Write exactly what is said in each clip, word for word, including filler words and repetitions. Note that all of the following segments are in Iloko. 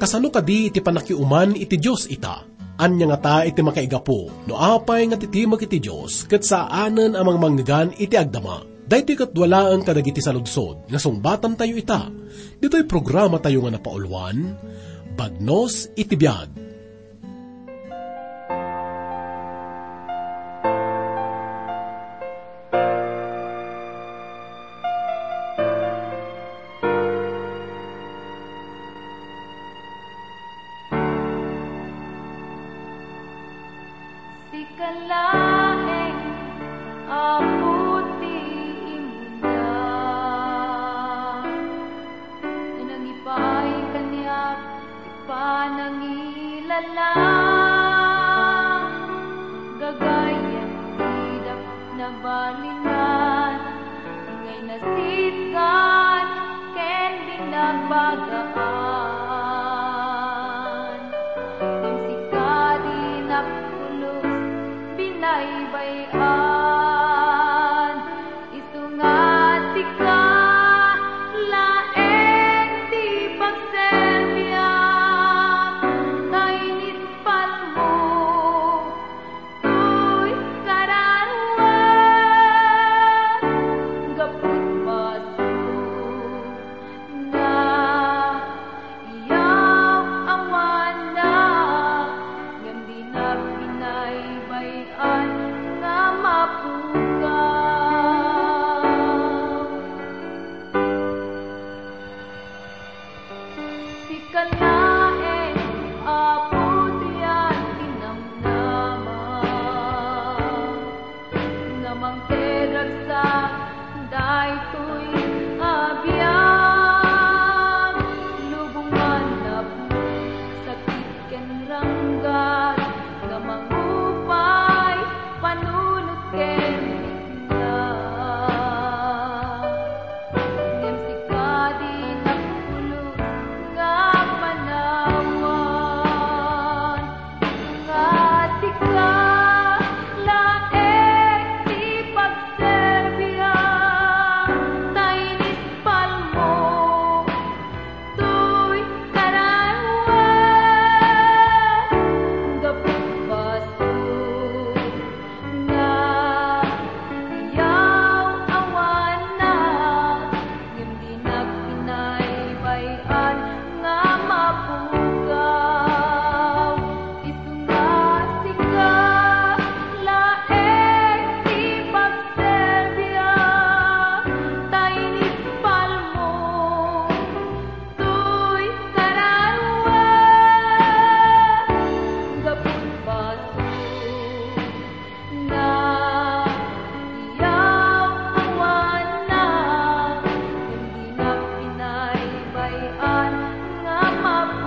Sano kadi iti pannakiuman iti Dios ita? Ania ngata iti makaigapu no apay nga titimek iti Dios ket saanen a mangmangngegan iti agdama? Daytoy ket dua laeng kadagiti saludsod nga sungbatantayo ita. Ditoy programatayo nga napauluan, Bagnos iti Biag. Sika laeng, Apo, ti imuna. Nangipaay kaniak ti panangilala. Gagayyem ti dapna balinan, ngay nasitgan ken binabagaan. Ngem sika dinak pulos binaybay-an. Isu nga sika laeng ti pagserbiam, ta inispalmo toy kararuam, gapu ti basol nga iyaw-awannak, ngem dinak binaybay-an nga mapukaw. Sika laeng, Apo, ti ayan ti namnama. Nga mangtedragsak daytoy a biag, lubong nga napno, sakit ken ranggat, nga mangupay, panunot ken bigla. Ngem sika dinak pulos nga panawan. Nga sika laeng ti pagserbiam, ta inispalmo toy kararuam, gapu ti basol nga iyaw-awannak, ngem dinak binaybay-an nga mapukaw. Isu nga sika laeng ti pagserbiam, ta inispalmo toy kararuam, gapu ti basol nga iyaw-awannak, ngem dinak binaybay-an nga mapukaw.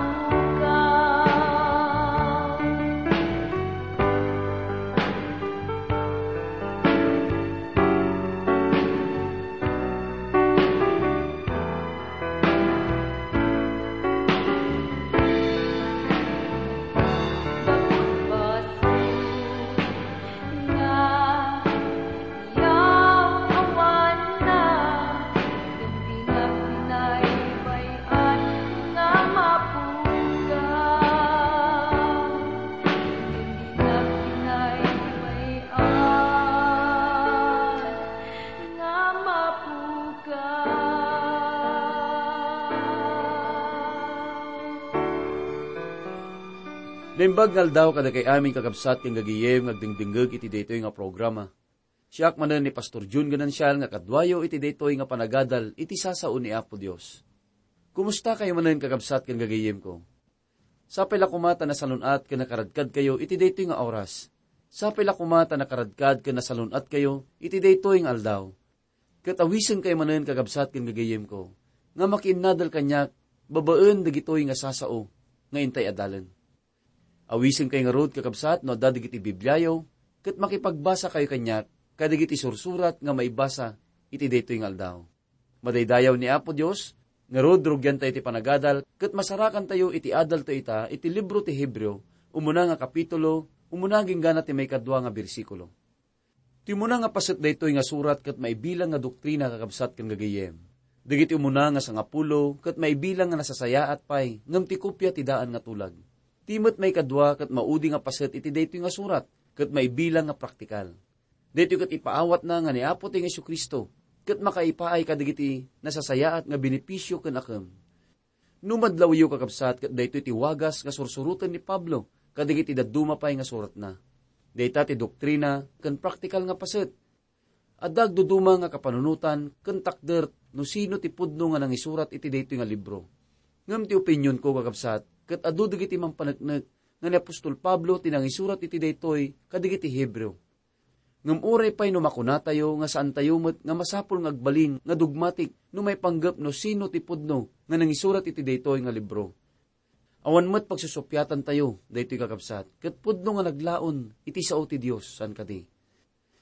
Gapu ti basol nga iyaw-awannak, ngem dinak binaybay-an nga mapukaw. Ngem dinak binaybay-an nga mapukaw. Naimbag nga aldaw kadakay amin, kakabsat ken gagayem nga agdengdengngeg iti daytoy nga programa. Siak manen ni Pastor Jun Ganancial nga kaduayo iti daytoy nga panagadal iti sasao ni Apo Dios. Kumusta kayo manen, kakabsat ken gagayemko? Sapay la koma ta nasalun-at ken nakaradkadkayo iti daytoy nga oras. Sapay la koma ta nakaradkad ken nasalun-atkayo iti daytoy nga aldaw. Ket awisenkayo manen, kakabsat ken gagayemko, nga makiinnadal kaniak babaen dagitoy nga sasao nga intay adalen. Awisenkayo ngarud, kakabsat, no adda dagiti Bibliayo, ket makipagbasakayo kaniak kadagiti sursurat nga maibasa iti daytoy nga aldaw. Madaydayaw ni Apo Dios, ngarud, rugiantayo ti panagadal, ket masarakantayo iti adaltayo ita iti libro ti Hebreo, umuna nga kapitulo, umuna agingga ti maikadua nga bersikulo. Ti umuna nga paset daytoy nga surat ket maibilang nga doktrina, kakabsat ken gagayem. Dagiti umuna nga sangapulo ket maibilang nga nasasayaat pay ngem ti kopia ti daan nga tulag. Ti met maikadua ket maudi nga paset iti daytoy nga surat ket maibilang nga praktikal. Daytoy ket ipaawatna nga ni Apo ti Jesu-Cristo ket makaipaay kadagiti nasasayaat nga benepisio ken akem. No madlawyo, kakabsat, ket daytoy ti wagas nga sursuroten ni Pablo kadagiti dadduma pay nga suratna. Dayta ti doktrina ken praktikal nga paset. Adda agduduma nga kapanunotan ken takder no sino ti pudno nga nangisurat iti daytoy nga libro. Ngem ti opinionko, kakabsat, ket adu dagiti mangpaneknek nga ni apostol Pablo ti nangisurat iti daytoy kadagiti Hebreo. Ngem uray pay no makunatayo nga saantayo met nga masapul nga agbalin nga dogmatik no maipanggep no sino ti pudno nga nangisurat iti daytoy nga libro. Awan met pagsusuppiatantayo daytoy, kakabsat, ket pudno nga naglaon iti sao ti Dios, saan kadi?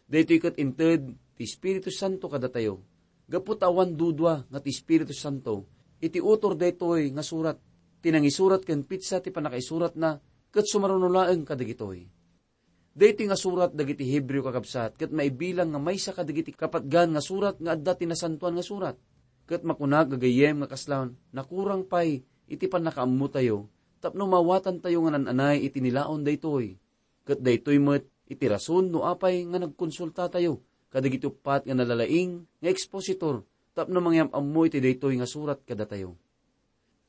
Daytoy ket inted ti Espiritu Santo kadatayo, gapu ta awan dudua nga ti Espiritu Santo iti utor daytoy nga surat. Ti nangisurat ken petsa ti pannakaisuratna ket sumaruno laeng kadagitoy. Daytoy nga surat dagiti Hebreo, kakabsat, ket maibilang nga maysa kadagiti kapatgan nga surat nga adda ti Nasantoan nga Surat. Ket makunak gagayyem nga kasla nakurang pay iti pannakaammotayo tapno maawatantayo nga naan-anay iti nilaon daytoy. Ket daytoy met iti rason no apay nga nagkonsultatayo kadagiti uppat nga nalalaing nga ekspositor tapno mangyam-ammo iti daytoy nga surat kadatayo.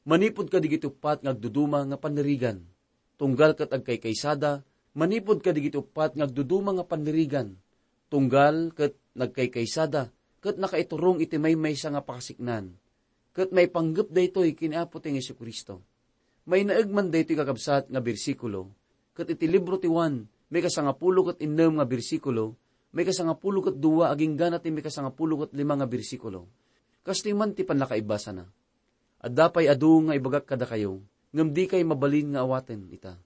Manipud kadagiti uppat nga agduduma nga pannirigan, tunggal ket agkaykaysada, manipud kadagiti uppat nga agduduma nga pannirigan, tunggal ket nagkaykaysada, ket nakaiturong iti maymaysa nga pakasiknan, ket maipanggep daytoy ken Apo ti Jesu-Cristo. Mainaeg man daytoy, kakabsat, nga bersikulo, ket iti libro ti Juan, maikasangapulo ket innem nga bersikulo, maikasangapulo ket dua agingga na ti maikasangapulo ket lima nga bersikulo. Kastoy man ti pannakaibasana. Adda pay adu nga ibagak kadakayo, ngem dikay mabalin nga awaten ita.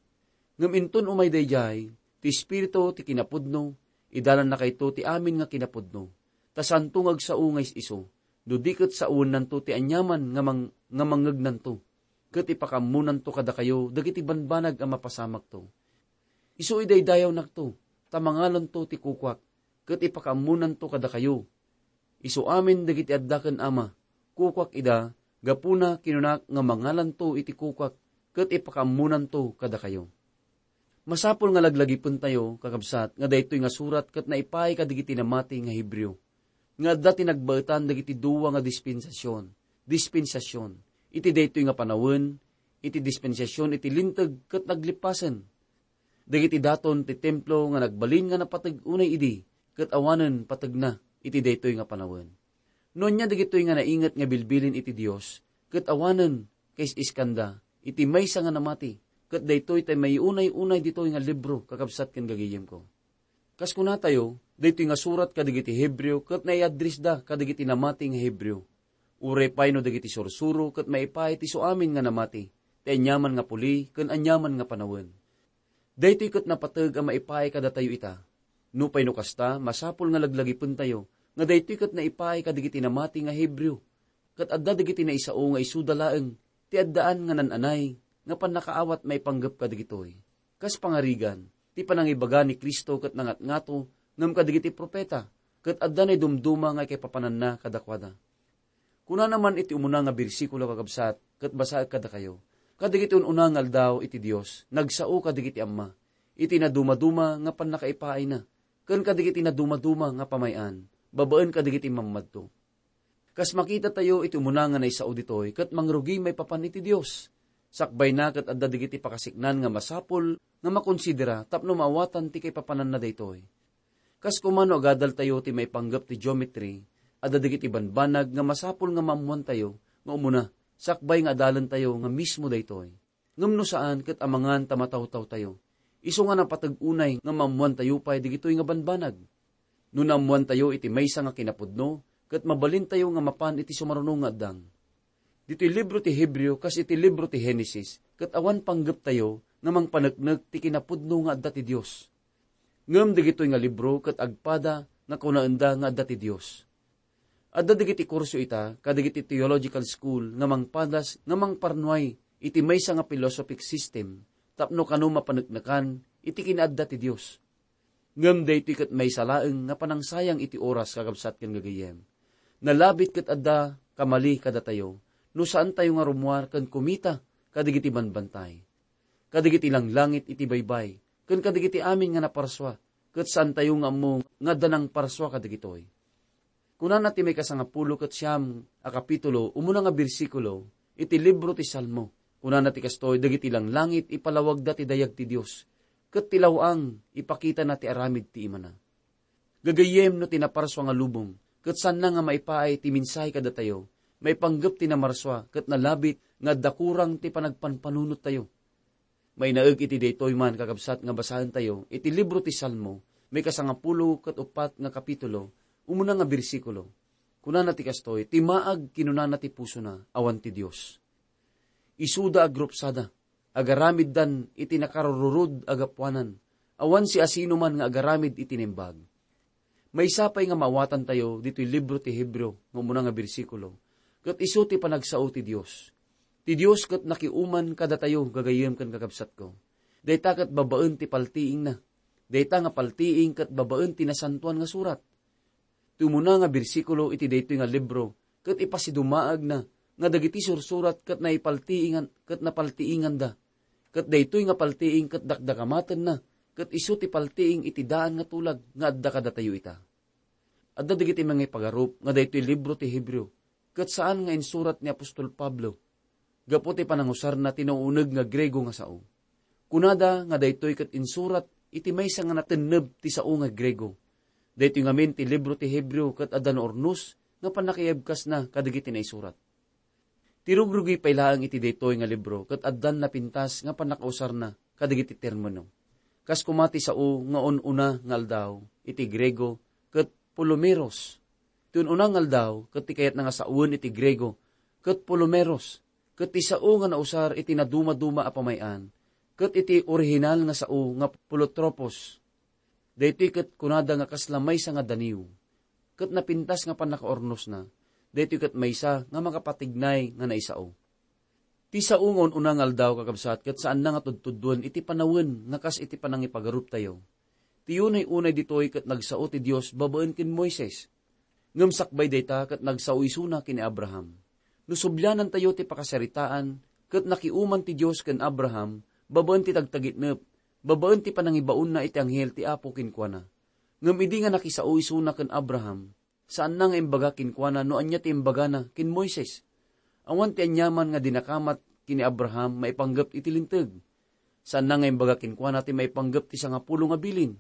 Ngem inton umay daydiay, ti Espiritu ti kinapudno, idalannakayto ti amin nga kinapudno. Ta saanto nga agsao nga is-isu, no di ket saoennanto ti aniaman nga mang-, nga mangngegnanto, ket ipakaammonanto kadakayo dagiti banbanag a mapasamakto. Isu idaydayawnakto, ta mangalanto ti kukuak, ket ipakaammonanto kadakayo. Isu amin dagiti adda ken Ama, kukuak ida, gapuna kinunak nga mangalanto iti kukuak, ket ipakaammonanto kadakayo. Masapul nga laglagipentayo, kakabsat, nga daytoy nga surat ket naipaay kadagiti namati nga Hebreo, nga adda ti nagbaetan dagiti dua nga dispensasion, dispensasion, iti daytoy nga panawen, iti dispensasion iti linteg ket naglipasen. Dagiti daton ti templo nga nagbalin nga napateg unay idi, ket awanen pategna iti daytoy nga panawen. No ania dagitoy nga nainget nga bilbilin iti Dios, ket awanen kais-iskanda iti maysa nga namati, ket daytoy ti maiunay-unay ditoy nga libro, kakabsat ken gagayemko. Kas kunatayo, daytoy nga surat kadagiti Hebreo ket naiaddressda kadagiti namati nga Hebreo. Uray pay no dagiti sursuro ket maipaay ti suamin nga namati, ti aniaman nga puli ken aniaman nga panawen. Daytoy ket napateg a maipaay kadatayo ita. Nupay no kasta, masapul nga laglagipentayo nga daytoy ket naipaay kadagiti namati nga Hebreo, ket adda dagiti naisao nga isuda laeng ti addaan nga naan-anay nga pannakaawat maipanggep kadagitoy. Kas pangarigan, ti panangibaga ni Cristo ket nangatngato ngem kadagiti profeta, ket adda naidumduma nga ikaipapananna kadakuada. Kunana man iti umuna nga bersikulo, kakabsat, ket basaek kadakayo, kadagiti un-una nga aldaw iti Dios, nagsao kadagiti amma, iti nadumaduma nga pannakaipaayna, ken kadagiti nadumaduma nga pamay-an, babaen kadagiti mammadto. Kas makitatayo iti umuna nga naisao ditoy, ket mangrugi maipapan iti Dios. Sakbayna ket adda dagiti pakasiknan nga masapul nga makonsidera tapno maawatan ti kaipapananna daytoy. Kas koma no agadaltayo ti maipanggep ti geometry, adda dagiti banbanag nga masapul nga maammoantayo nga umuna, sakbay nga adalentayo nga mismo daytoy. Ngem no saan, ket amangan ta matawtawtayo. Isu nga napateg unay nga maammoantayo pay dagitoy nga banbanag. No naammoantayo iti maysa nga kinapudno, ket mabalintayo nga mapan iti sumaruno nga addang. Ditoy libro ti Hebreo kas iti libro ti Genesis, ket awan panggeptayo nga mangpaneknek ti kinapudno nga adda ti Dios. Ngem dagitoy nga libro ket agpada nga kunaenda nga adda ti Dios. Adda dagiti kurso ita kadagiti theological school nga mangpadas nga mangparnuay iti maysa nga philosophic system tapno kano mapaneknekan iti kinaadda ti Dios. Ngem daytoy ket maysa laeng nga panangsayang iti oras, kakabsat ken gagayyem. Nalabit ket adda mali kadatayo no saantayo nga rummuar ken kumita kadagiti banbantay, kadagiti langlangit iti baybay, ken kadagiti amin nga naparsua, ket saantayo nga ammo nga adda nangparsua kadagitoy. Kunana ti maikasangapulo ket siam a kapitulo, umuna nga bersikulo, iti libro ti Salmo. Kunana ti kastoy, dagiti langlangit ipalawagda ti dayag ti Dios, ket ti law-ang ipakitana ti aramid ti imana. Gagayyem no ti naparsua nga lubong, ket saanna nga maipaay ti mensahe kadatayo, maipanggep ti namarsua, ket nalabit nga adda kurang ti panagpanpanunottayo. Mainaig iti daytoy man, kakabsat, nga basaentayo iti libro ti Salmo, maikasangapulo ket uppat nga kapitulo, umuna nga bersikulo. Kunana ti kastoy, "Ti maag kinunana ti pusona, awan ti Dios. Isuda agrupsada, agaramiddan iti nakarururod a gapuanan, awan siasinoman nga agaramid iti naimbag." Maysa pay nga maawatantayo ditoy libro ti Hebreo nga umuna nga bersikulo, ket isu ti panagsao ti Dios. Ti Dios ket nakiuman kadatayo, gagayyem ken kakabsatko. Dayta ket babaen ti paltiingna. Dayta nga paltiing ket babaen ti Nasantoan nga Surat. Ti umuna nga bersikulo iti daytoy nga libro ket ipasidumaagna nga dagiti sursurat ket naipaltiingan, ket napaltiinganda, ket daytoy nga paltiing ket dakdakamatenna, ket isu ti paltiing iti daan nga tulag nga adda kadatayo ita. Adda dagiti mangipagarup nga daytoy libro ti Hebreo ket saan nga insurat ni apostol Pablo, gapu ti panangusarna ti nauneg nga Griego nga sao. Kunada nga daytoy ket insurat iti maysa nga natenneb ti sao nga Griego. Daytoy ngamin ti libro ti Hebreo ket adda naurnos nga pannakaibkasna kadagiti naisurat. Ti rugrugi pay laeng iti daytoy nga libro ket addan napintas nga pannakausarna kadagiti termino. Kas koma ti sao nga un-una nga aldaw iti Griego ket pulumeros. Ti un-una nga aldaw ket ti kayatna nga sawen iti Griego ket pulumeros, ket ti sao nga nausar iti nadumaduma a pamay-an ket iti orihinal nga sao nga pulotropos. Daytoy ket kunada nga kasla maysa nga daniw, ket napintas nga pannakaurnosna. Daytoy ket maysa nga makapatignay nga naisao. Ti sao nga un-una nga aldaw, kakabsat, ket saanna nga tudtudduen iti panawen nga kas iti panangipagaruptayo. Ti unay-unay ditoy ket nagsao ti Dios babaen ken Moises. Ngem sakbay dayta ket nagsao isuna ken ni Abraham. No sublianantayo ti pakasaritaan, ket nakiuman ti Dios ken Abraham babaen ti tagtagitnep, babaen ti panangibaonna iti anghel ti Apo kenkuana. Ngem idi nga nakisao isuna ken Abraham, saanna nga imbaga kenkuana no ania ti imbagana ken Moises. Awan ti aniaman nga dinakamat ken ni Abraham maipanggep iti Linteg. Saanna nga imbaga kenkuana ti maipanggep ti sangapulo nga bilin.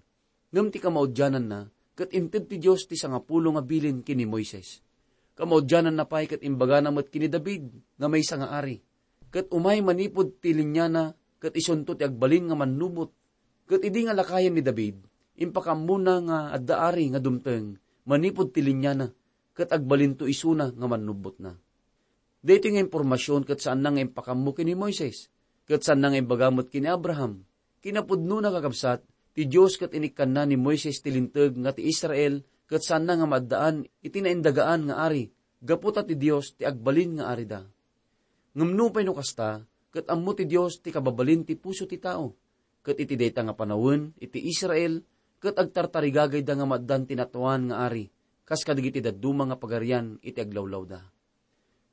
Ngem ti kamaudiananna, ket inted ti Dios ti sangapulo nga bilin ken ni Moises. Kamaudiananna pay ket imbagana met ken ni David nga maysa nga ari. Ket umay manipud ti liniana, ket isunto ti agbalin nga mannubot. Ket idi nga lakayen ni David, impakaammona nga adda ari nga dumteng manipud ti liniana, ket agbalinto isuna nga mannubbotna. Daytoy nga impormasion ket saanna nga impakammo ken ni Moises, ket saanna nga imbaga met ken ni Abraham. Kinapudnona, kakabsat, ti Dios ket inikkanna ni Moises ti Linteg nga ti Israel ket saanna nga maaddaan iti naindagaan nga ari, gapu ta ti Dios ti agbalin nga arida. Ngem nupay no kasta, ket ammo ti Dios ti kababalin ti puso ti tao, ket iti dayta nga panawen iti Israel, ket agtartarigagayda nga maaddaan ti natuan nga ari, kas kadagiti dadduma nga pagarian iti aglawlawda.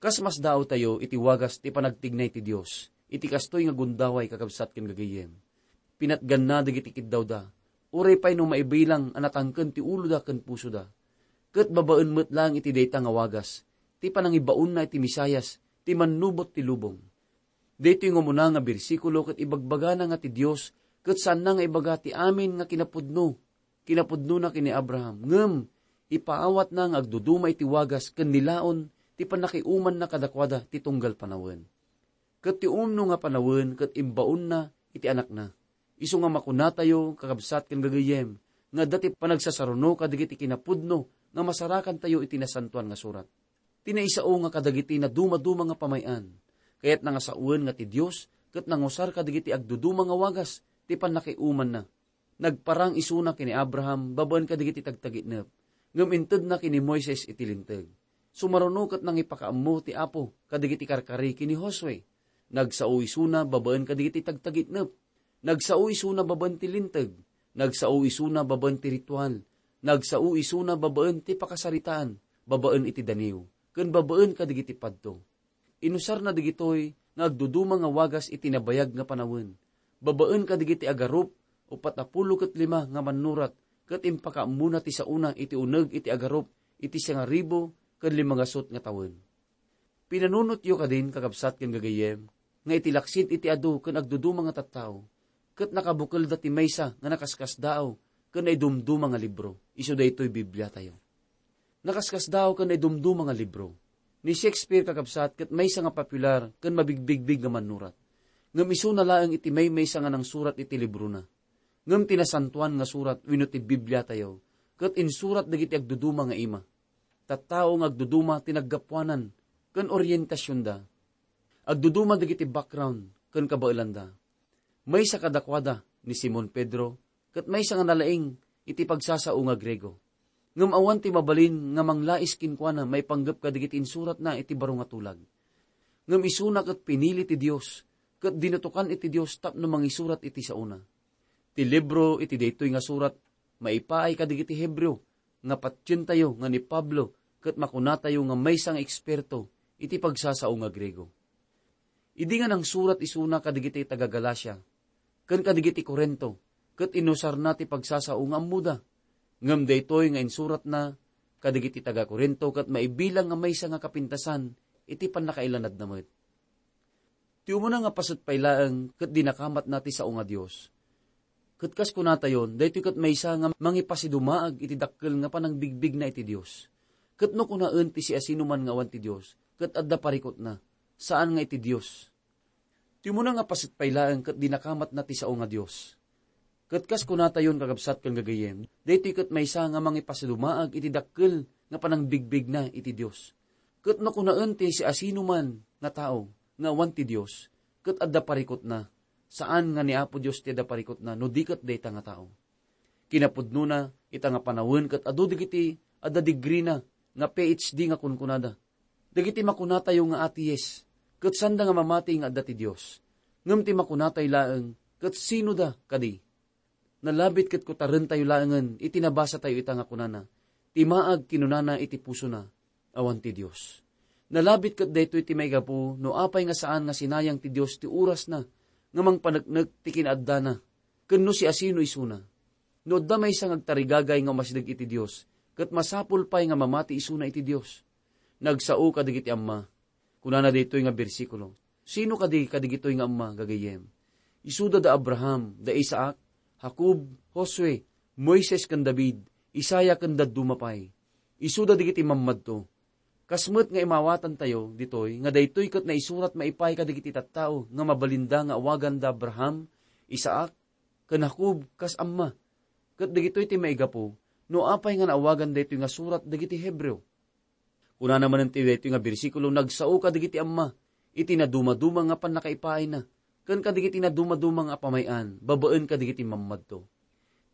Kas masdaawtayo iti wagas ti panagtignay ti Dios iti kastoy nga gundaway, kakabsat ken gagayyem. Pinatganna dagiti kiddawda, uray pay no maibilang a natangken ti uloda ken pusoda. Ket babaen met laeng iti dayta nga wagas, ti panangibaonna iti Mesias, ti mannubot ti lubong. Daytoy nga umuna nga bersikulo ket ibagbagana nga ti Dios ket saanna nga ibaga ti amin nga kinapudno, kinapudnona ken ni Abraham, ngem ipaawatna nga agduduma iti wagas ken nilaon ti pannakiumanna kadakuada ti tunggal panawen. Ket ti umno nga panawen ket imbaonna iti Anakna. Isu nga makunatayo, kakabsat ken gagayyem, nga adda ti panagsasaruno kadagiti kinapudno nga masarakantayo iti Nasantoan nga Surat. Ti naisao nga kadagiti nadumaduma nga pamay-an, kayatna nga sawen nga ti Dios ket nangusar kadagiti agduduma nga wagas ti pannakiumanna. Nagparang isuna ken ni Abraham babaen kadagiti tagtagitnep, ngem intedna ken ni Moises iti Linteg. Sumaruno ket nangipakaammo ti Apo kadagiti karkari ken ni Josue. Nagsao isuna babaen kadagiti tagtagitnep. Nagsao isuna babaen ti Linteg. Nagsao isuna babaen ti ritual. Nagsao isuna babaen ti pakasaritaan, babaen iti daniw. ken babaen kadagiti padto. Inusarna dagitoy nga agduduma nga wagas iti nabayag nga panawen, babaen kadagiti agarup, uppat a pulo ket lima nga mannurat, ket impakaammona ti saona iti uneg iti agarup iti siangaribu ken limagasut nga tawen. Pinanunotyo kadin, kakabsat ken gagayyem, nga iti laksid iti adu ken agduduma nga tattao, ket nakabukelda ti maysa nga nakaskasdaaw ken naidumduma nga libro. Isu daytoy Bibliatayo. Nakaskasdaaw ken naidumduma nga libro. Ni Shakespeare, kakabsat, ket maysa nga popular ken mabigbigbig nga mannurat. Ngem isuna laeng iti maymaysa nga nangsurat iti librona. Ngem ti Nasantoan nga Surat wenno ti Bibliatayo ket insurat dagiti agduduma nga ima. Tattao nga agduduma ti naggapuanan ken orientasionda. Agduduma dagiti background ken kabaelanda. Maysa kadakuada ni Simon Pedro, ket maysa nga nalaing iti pagsasao nga Griego. Ngem awan ti mabalin nga manglais kenkuana maipanggep kadagiti insuratna iti baro nga tulag. Ngem isuna ket pinili ti Dios, ket dinutokan iti Dios tapno mangisurat iti saona. Ti libro iti daytoy nga surat maipaay kadagiti Hebreo nga patientayo nga ni Pablo ket makunatayo nga maysa nga eksperto iti pagsasao nga Griego. Idi nga nangsurat isuna kadagiti taga-Galacia ken kadagiti Corinto, ket inusarna ti pagsasao nga ammoda. Ngem daytoy nga insuratna kadagiti taga-Corinto ket maibilang nga maysa nga kapintasan iti pannakailanadna met. Ti umuna nga paset pay laeng ket dinakamatna ti sao nga Dios. Ket kas kunatayon, daytoy ket maysa nga mangipasidumaag iti dakkel nga panangbigbigna iti Dios. Ket no kunaen ti siasinoman nga awan ti Dios, ket adda parikutna, saan nga iti Dios. Ti umuna nga paset pay laeng ket dinakamatna ti sao nga Dios. Ket kas kunatayon, kakabsat ken gagayyem, daytoy ket maysa nga mangipasidumaag iti dakkel nga panangbigbigna iti Dios. Ket no kunaen ti siasinoman nga tao nga awan ti Dios, ket adda parikutna, saan nga ni Apo Dios ti adda parikutna no di ket dayta nga tao. Kinapudnona, ita nga panawen ket adu dagiti adda degree-na nga P H D nga kunkunada. Dagiti makunatayo nga atheist, ket sanda nga mamati nga adda ti Dios. Ngem ti makunatayo laeng, ket sinoda kadi? Nalabit ket kutarentayo laengen iti nabasatayo ita nga kunana, "Ti maag kinunana iti pusona, awan ti Dios." Nalabit ket daytoy ti maigapu no apay nga saan nga sinayang ti Dios ti orasna nga mangpaneknek ti kinaaddana, ken no siasino isuna. No adda maysa nga agtarigagay nga umasideg iti Dios, ket masapul pay nga mamati isuna iti Dios. Nagsao kadagiti amma. Kunana daytoy nga bersikulo, "Sino kadi kadigitoy nga amma, gagayyem? Isuda da Abraham, da Isaac, Jacob, Josue, Moises ken David, Isaiah ken dadduma pay. Isuda dagiti mammadto." Kas met nga imawatantayo ditoy nga daytoy ket naisurat maipaay kadagiti tattao nga mabalinda nga awagan da Abraham, Isaac, ken Jacob kas amma. Ket dagitoy ti maigapu no apay nga naawagan daytoy nga surat dagiti Hebreo. Kunana manen ti daytoy nga bersikulo, "Nagsao kadagiti amma iti nadumaduma nga pannakaipaayna, ken kadagiti nadumaduma nga pamay-an babaen kadagiti mammadto."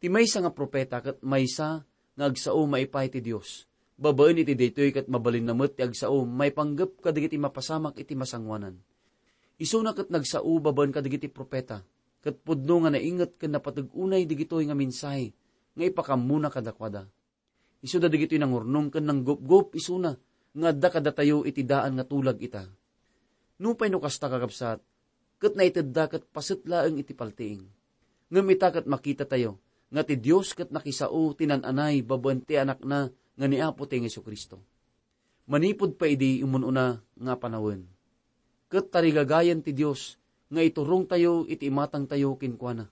Ti maysa nga profeta ket maysa nga agsao maipaay ti Dios. Babaen iti daytoy ket mabalinna met ti agsao maipanggep kadagiti mapasamak iti masangoanan. Isuna ket nagsao babaen kadagiti profeta, ket pudno nga nainget ken napateg unay dagitoy nga mensahe nga ipakammona kadakuada. Isuda dagitoy nangurnong ken nanggupgop isuna nga adda kadatayo iti daan nga tulag ita. Nupay no kasta, kakabsat, ket naitedda ket paset laeng iti paltiing. Ngem ita ket makitatayo nga ti Dios ket nakisao ti nan-anay babaen ti Anakna nga ni Apo ti Jesu-Cristo. Manipud pay idi imun-una nga panawen, ket tarigagayan ti Dios nga iturongtayo iti imatangtayo kenkuana,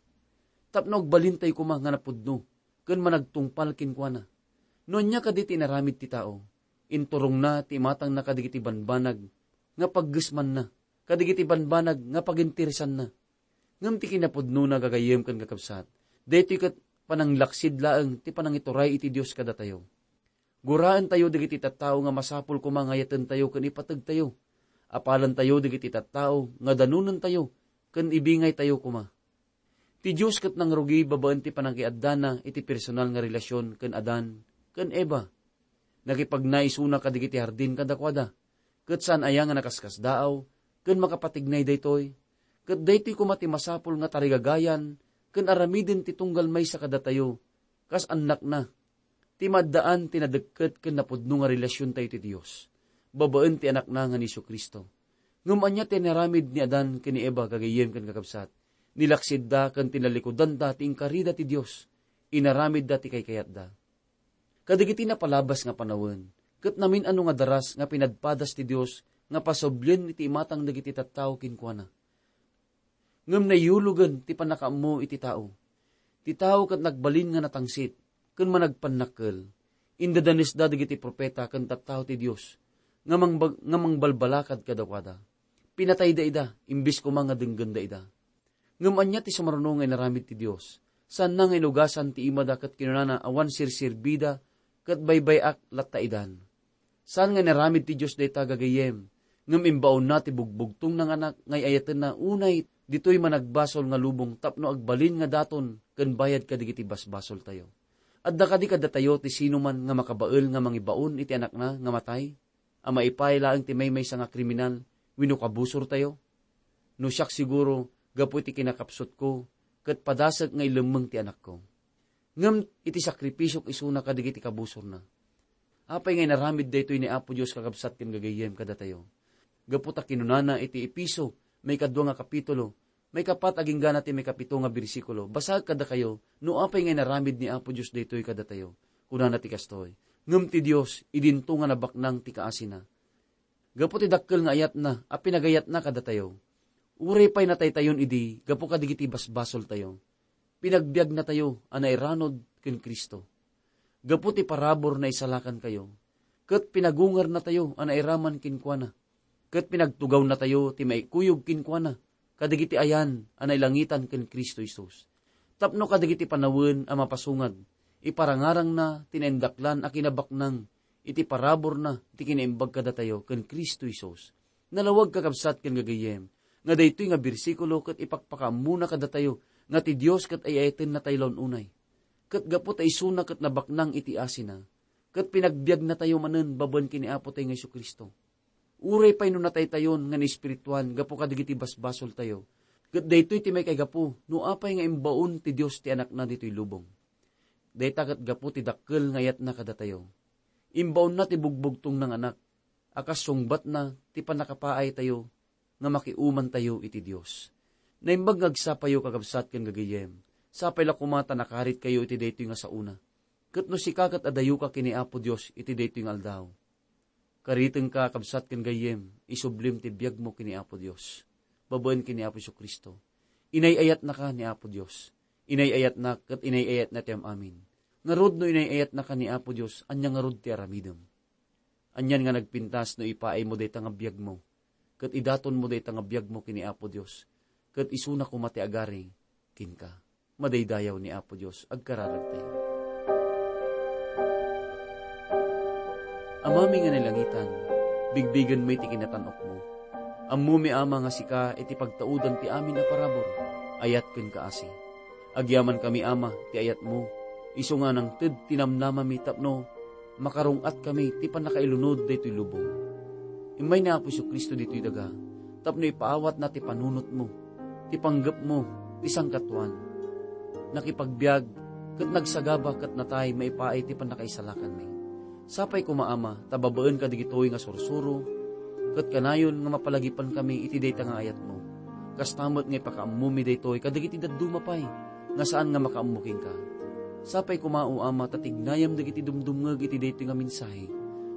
tapno agbalintayo koma nga napudno ken managtungpal kenkuana. No ania kadi ti inaramid ti tao, inturongna ti imatangna kadagiti banbanag nga paggesmanna, kadagiti banbanag nga paginteresanna. Ngem ti kinapudnona, gagayyem ken kakabsat, daytoy ket pananglaksid laeng ti panangituray iti Dios kadatayo. Guraentayo dagiti tattao nga masapul koma nga ayatentayo ken ipategtayo. Apalentayo dagiti tattao nga danonentayo ken ibingaytayo koma. Ti Dios ket nangrugi babaen ti panangiaddana iti personal nga relasyon ken Adan ken Eva. Nakipagna isuna kadagiti hardin kadakuada, ket saan aya nga nakaskasdaaw ken makapatignay daytoy? Ket daytoy koma ti masapul nga tarigagayan ken aramiden ti tunggal maysa kadatayo kas annakna, ti maaddaan ti nadekket ken napudno nga relasiontayo ti Dios. babaen ti Anakna nga ni Jesu-Cristo. Ngem ania ti inaramid ni Adan ken ni Eva, gagayyem ken kakabsat? Nilaksidda ken tinallikudanda ti inkarida ti Dios. Inaramidda ti kaykayatda. Kadagiti napalabas nga panawen, ket namin-ano nga daras nga pinadpadas ti Dios nga pasublien iti imatang dagiti tattao kenkuana. Ngem naiyulogen ti pannakaammo iti tao. Ti tao ket nagbalin nga natangsit ken managpannakkel. Indadanesda dagiti profeta ken tattao ti Dios nga mangbag-, nga mangbalbalakad kadakuada. Pinatayda ida, imbes koma nga denggenda ida. Ngem ania ti sumaruno nga inaramid ti Dios? Saanna nga inugasan ti imada ket kinunana, awan sirsirbida ket baybay-ak latta idan. Saan nga inaramid ti Dios dayta, gagayyem, ngem imbaonna ti bugbugtongna nga Anak nga ay-ayatenna unay ditoy managbasol nga lubong tapno agbalin nga daton ken bayad kadagiti basbasoltayo. Adda kadi kadatayo ti sinuman nga makabael nga mangibaon iti Anakna nga matay, a maipaay laeng ti maymaysa nga kriminal wenno kabusortayo? No siak, siguro, gapu iti kinakapsutko, ket padasek nga ilemmeng ti anakko. Ngem iti sakripisiok isuna kadagiti kabusorna. Apay nga inaramid daytoy ni Apo Dios, kakabsat ken gagayyem, kadatayo? Gapu ta kinunana iti Efeso, maikadua nga kapitulo, maikapat agingga na ti maikapito nga bersikulo, basaek kadakayo no apay nga inaramid ni Apo Dios daytoy kadatayo. Kunana ti kastoy, "Ngem ti Dios, idinto nga nabaknang ti kaasina." Gapu ti dakkel nga ayatna a pinagayatna kadatayo, uray pay nataytayon idi gapu kadagiti basbasoltayo, pinagbiagnatayo a nairanod ken Cristo. Gapu ti parabur, naisalakankayo, ket pinagungernatayo a nairaman kenkuana, ket pinagtugawnatayo ti maikuyog kenkuana kadagiti ayan a nailangitan ken Cristo Jesus. Tapno kadagiti panawen a mapasungad, iparangarangna ti naindaklan a kinabaknang iti paraburna ti kinaimbag kadatayo ken Cristo Jesus. Nalawag, kakabsat ken gagayyem, nga daytoy nga bersikulo ket ipakpakaammona kadatayo nga ti Dios ket ay-ayatenna tayo laeng unay. Ket gapu ta isuna ket nabaknang iti asina, ket pinagbiagnatayo manen babaen ken ni Apo tayo nga Jesu-Cristo. Uray pay no nataytayon nga naespirituan gapu kadagiti basbasoltayo, ket daytoy ti maikaigapu no apay nga imbaon ti Dios ti Anakna ditoy lubong. Dayta ket gapu ti dakkel nga ayatna kadatayo. Imbaonna ti bugbugtongna nga Anak a kas sungbatna ti pannakapaaytayo nga makiumantayo iti Dios. Naimbag nga agsapayo, kakabsat ken gagayyem, sapay la koma ta nakaritkayo iti daytoy nga saona. Ket no sika ket adayoka ken ni Apo Dios iti daytoy nga aldaw, karitengka, kabsat ken gayyem, isublim ti biagmo ken ni Apo Dios, babaen ken ni Apo Jesu-Cristo. Inay-ayatnaka ni Apo Dios. Inay-ayatnak ket inay-ayatna ti am-amin. Ngarud, no inay-ayatnaka ni Apo Dios, ania ngarud ti aramidem? Anian nga nagpintas no ipaaymo dayta nga biagmo, ket idatonmo dayta nga biagmo ken ni Apo Dios, ket isuna koma ti agari kenka. Madaydayaw ni Apo Dios, agkararagtayo. Amami nga nailangitan, bigbigenmi ti kinatan-okmo. Ammomi, Ama, nga sika iti pagtaudan ti amin a parabur, ayat ken kaasi. Agyamankami, Ama, ti ayatmo, isu nga nangted ti namnamami tapno makarung-atkami ti pannakailunod daytoy lubong. Immay ni Apo Jesu-Cristo ditoy daga tapno ipaawatna ti panunotmo, ti panggepmo, ti sangkatuan. Nakipagbiag ket nagsagaba ket natay maipaay ti pannakaisalakanmi. Sapay koma, Ama, ta babaen kadagitoy nga sursuro, ket kanayon nga mapalagipankami iti dayta nga ayatmo. Kasta met nga ipakaammomi daytoy kadagiti dadduma pay nga saan nga makaammo kenka. Sapay koma, O Ama, ta tignayam dagiti dumdumngeg iti daytoy nga mensahe,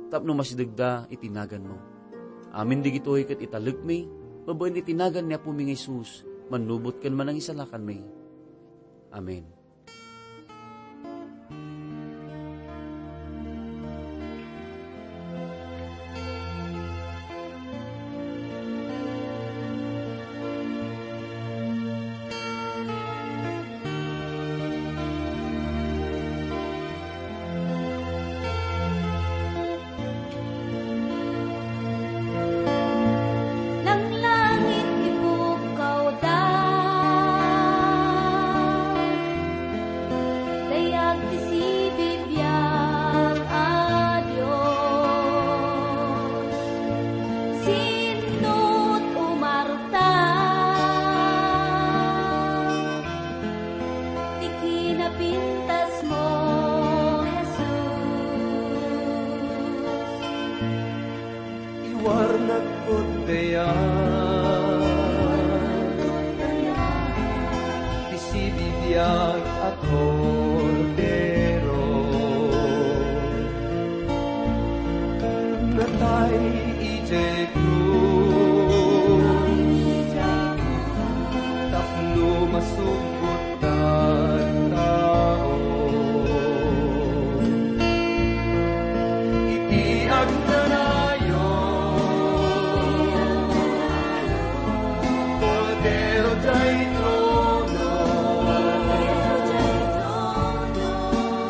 tapno masidegda iti naganmo. Amin dagitoy ket italekmi babaen iti nagan ni Apomi nga Jesus, mannubot ken manangisalakanmi. Amen. Langlangit ti pukkawda. Warnagkod dayag ti sibibiag a Kordero. Natay idiay krus tapno masubot tattao. Iti agnanayon, Kordero diay trono,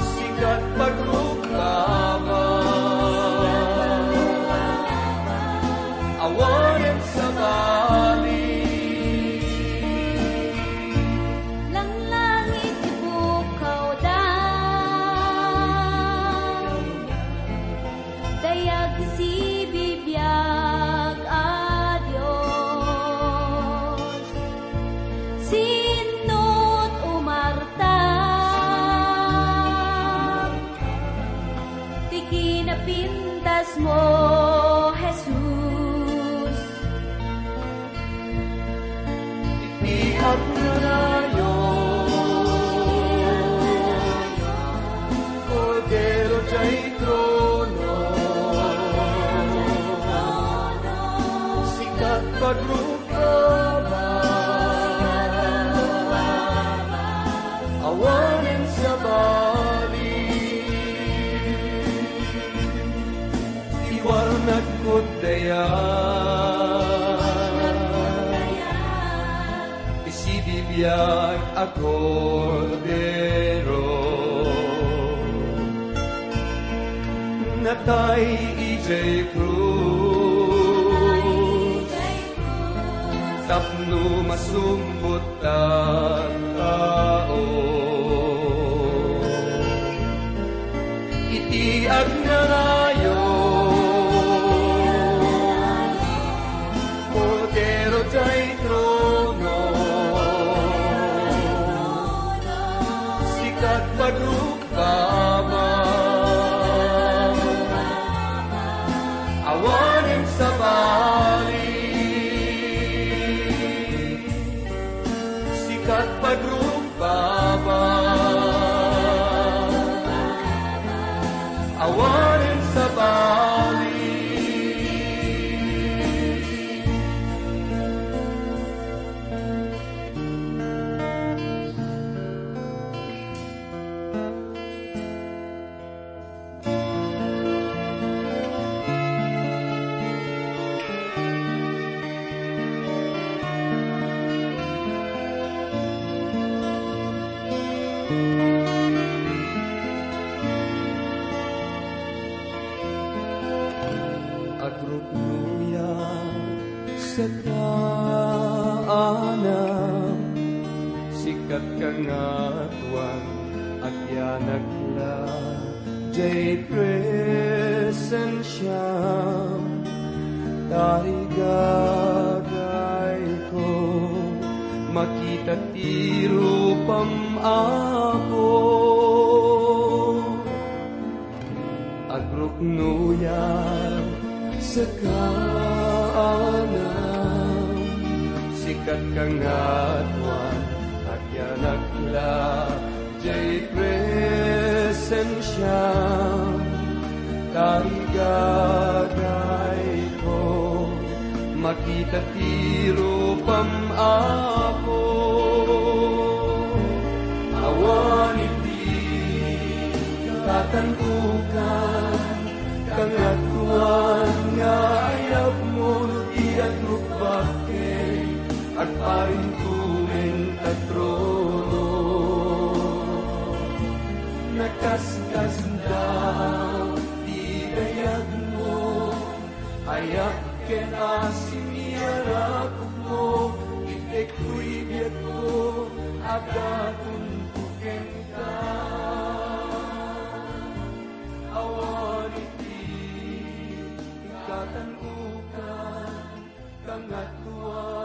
sikat pagrukbaba, awanen sabali. Langlangit ti pukawda, dayag ti sibibiag a Dios. Sinno ti umarta ti kinapintasmo, Jesus? Iti agnanayon, Kordero diay trono, sikat pagrukbaba, awanen sabali. Iwarnagkod dayag ti sibibiag a Kordero, natay idiay krus tapno masumbot tattao. Iti agnanayon, Kordero diay trono, sikat pagrukbaba, awanen sabali. Sikat pagrukbaba, awanen sabali. Agruknoyak sika, anam, sikat Kangatoan, agyanakla diay presensiam, tarigagayko, makita ti rupam, Apo. Agruknoyak sika, anam, sikat Kangatoan, agyanakla diay presensiam, tarigagayko, makita ti rupam, Apo. Awan iti katandukan, Kangatoan nga ayabmo no di agrukbak ken agparinto ken ta trono. Nakaskasdaaw ti dayagmo, ayab ken asin ti arakupmo, itekko ti biagko, agatonko kenka. Awan iti katandukan, Kangatoan